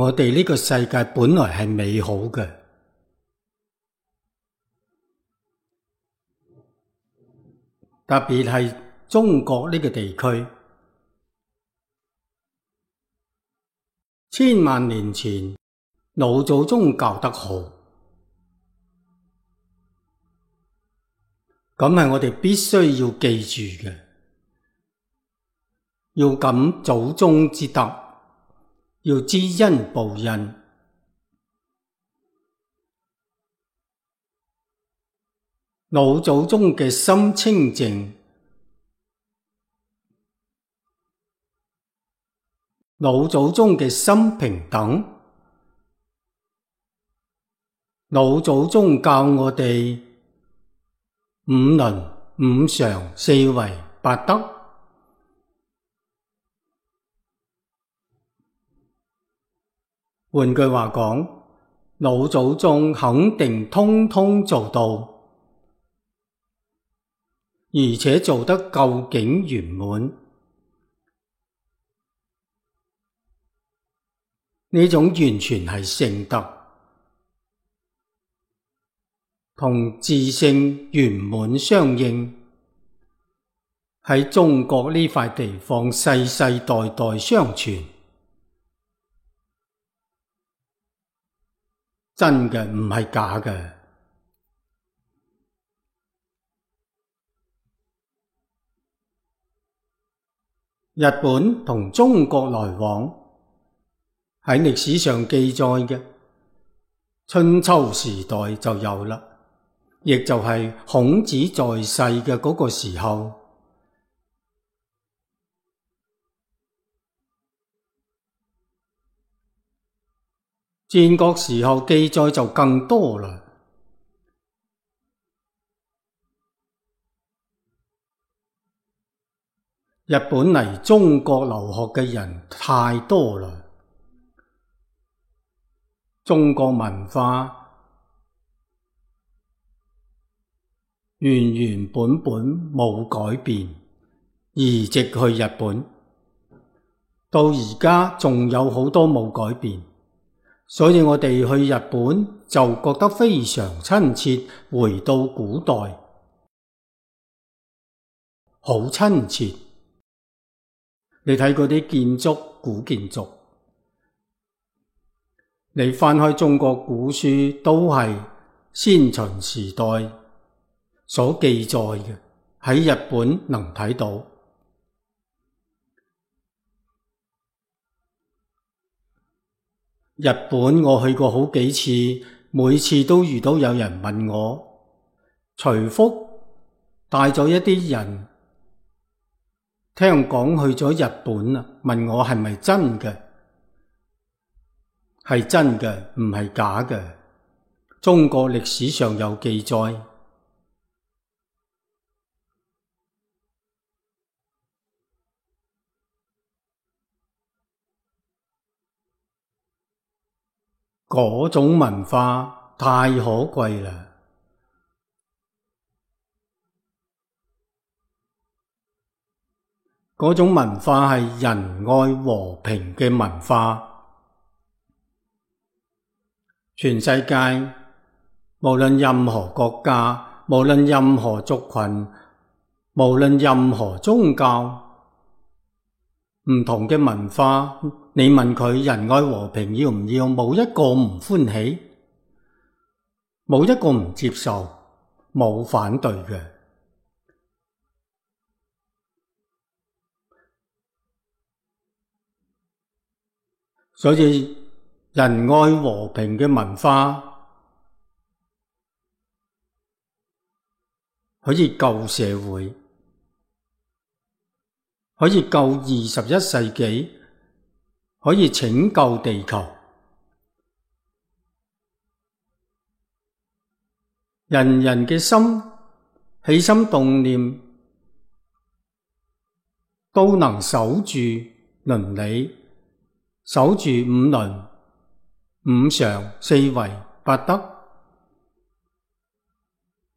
我哋呢個世界本來係美好嘅，特別係中國呢個地區，千萬年前老祖宗教得好，咁係我哋必須要記住嘅，要感祖宗之德，要知恩報恩。老祖宗嘅心清淨，老祖宗嘅心平等，老祖宗教我哋五倫、五常、四維、八德。換句話講，老祖宗肯定通通做到，而且做得究竟圓滿。呢種完全係聖德，同自性圓滿相應，喺中國呢塊地方世世代代相傳。真嘅，唔係假嘅。日本同中國來往，喺歷史上記載嘅春秋時代就有啦，亦就係孔子在世嘅嗰個時候。戰國時候記載就更多啦。日本嚟中國留學嘅人太多啦，中國文化原原本本冇改變，移植去日本，到而家仲有好多冇改變。所以我哋去日本就覺得非常親切，回到古代，好親切。你睇嗰啲建築，古建築，你翻開中國古書都係先秦時代所記載嘅，喺日本能睇到。日本我去過好幾次，每次都遇到有人問我，徐福帶咗一啲人，聽講去咗日本啦，問我係咪真嘅？係真嘅，唔係假嘅。中國歷史上有記載。嗰種文化太可貴啦！嗰種文化係仁愛和平嘅文化。全世界無論任何國家，無論任何族群，無論任何宗教，唔同嘅文化，你問佢仁愛和平要唔要，冇一個唔歡喜，冇一個唔接受，冇反對嘅。所以仁愛和平嘅文化可以救社會，可以救21世紀，可以拯救地球。人人嘅心起心動念都能守住倫理，守住五倫、五常、四維、八德，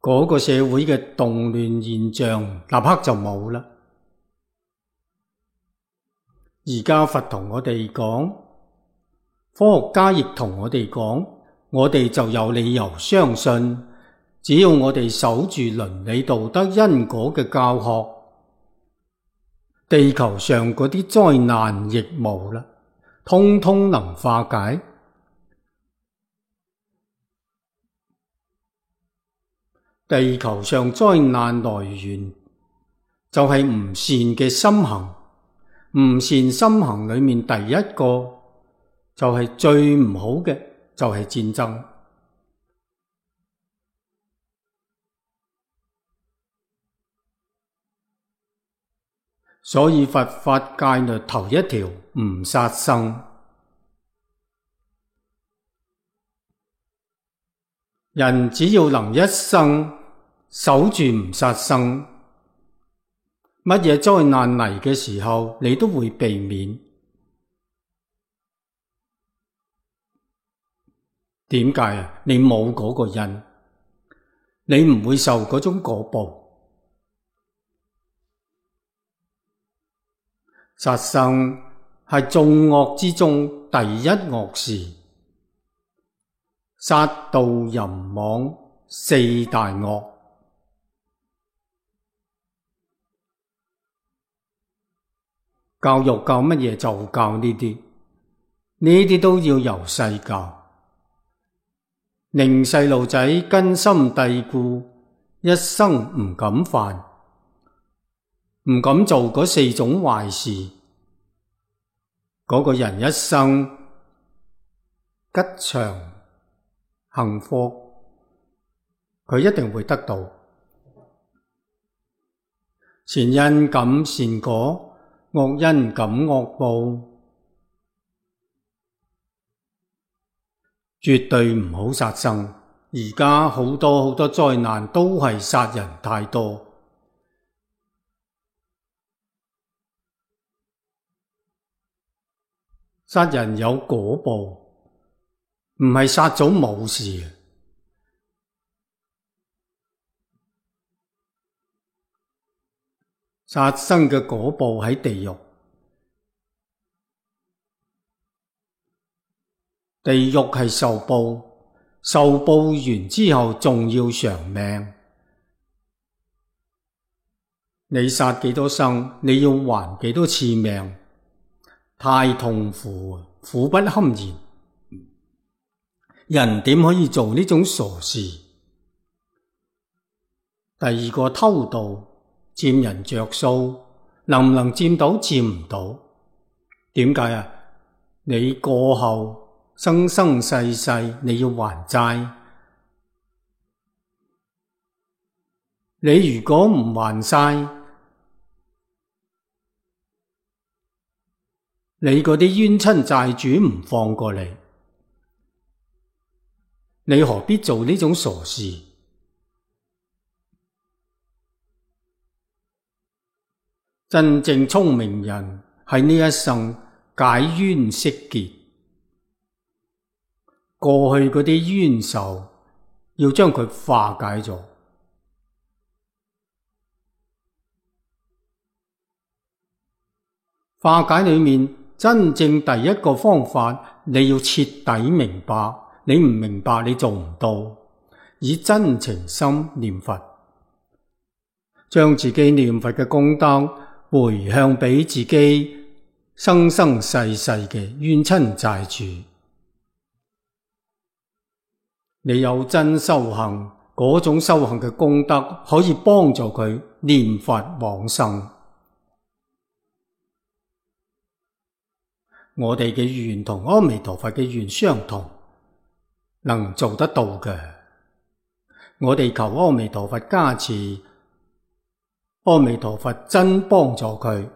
嗰個社會嘅動亂現象立刻就冇啦。而家佛同我哋講，科學家亦同我哋講，我哋就有理由相信，只要我哋守住倫理道德因果嘅教學，地球上嗰啲災難亦無啦，通通能化解。地球上災難來源就係唔善嘅心行，唔善心行裏面第一個就係最唔好嘅，就係戰爭。所以佛法戒律頭一條唔殺生。人只要能一生守住唔殺生，乜嘢災難嚟嘅時候，你都會避免。點解啊？你冇嗰個因，你唔會受嗰種果報。殺生係眾惡之中第一惡事，殺盜淫妄四大惡。教育教乜嘢就教呢啲，呢啲都要由細教，令細路仔根深蒂固，一生唔敢犯，唔敢做嗰四種壞事，嗰個人一生吉祥幸福，佢一定會得到。善因感善果，惡因感惡報，絕對唔好殺生。而家好多災難都係殺人太多。殺人有果報，唔係殺咗冇事。殺生嘅果報喺地獄，地獄係受報，受報完之後仲要償命。你殺幾多生，你要還幾多次命，太痛苦，苦不堪言。人點可以做呢種傻事？第二個偷盜，佔人着數，能唔能佔到？佔唔到。點解啊？你過後生生世世你要還債，你如果唔還晒，你嗰啲冤親債主唔放過你，你何必做呢種傻事？真正聰明人喺呢一生解冤釋結，過去嗰啲冤仇要將佢化解咗。化解裏面真正第一個方法，你要徹底明白。你唔明白，你做唔到。以真情心念佛，將自己念佛嘅功德回向俾自己生生世世嘅冤親債主。你有真修行，嗰種修行嘅功德可以幫助佢念佛往生。我哋嘅願同阿彌陀佛嘅願相同，能做得到嘅。我哋求阿彌陀佛加持，阿彌陀佛真幫助佢。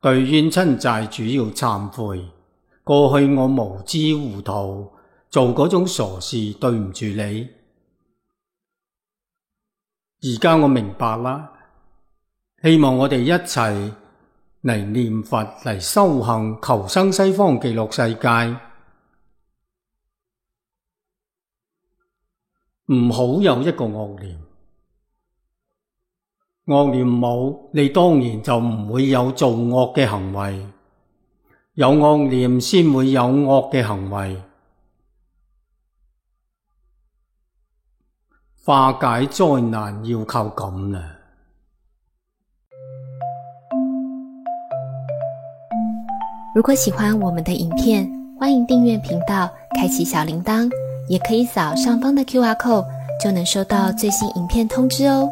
對冤親債主要懺悔，過去我無知糊塗，做嗰種傻事，對唔住你。而家我明白啦，希望我哋一齊嚟念佛，嚟修行，求生西方極樂世界。唔好有一個惡念，惡念冇，你當然就唔會有做惡嘅行為。有惡念先會有惡嘅行為。化解災難要靠咁啦。如果喜歡我們的影片，歡迎訂閱頻道，開啟小鈴鐺，也可以掃上方的 QR code，就能收到最新影片通知哦。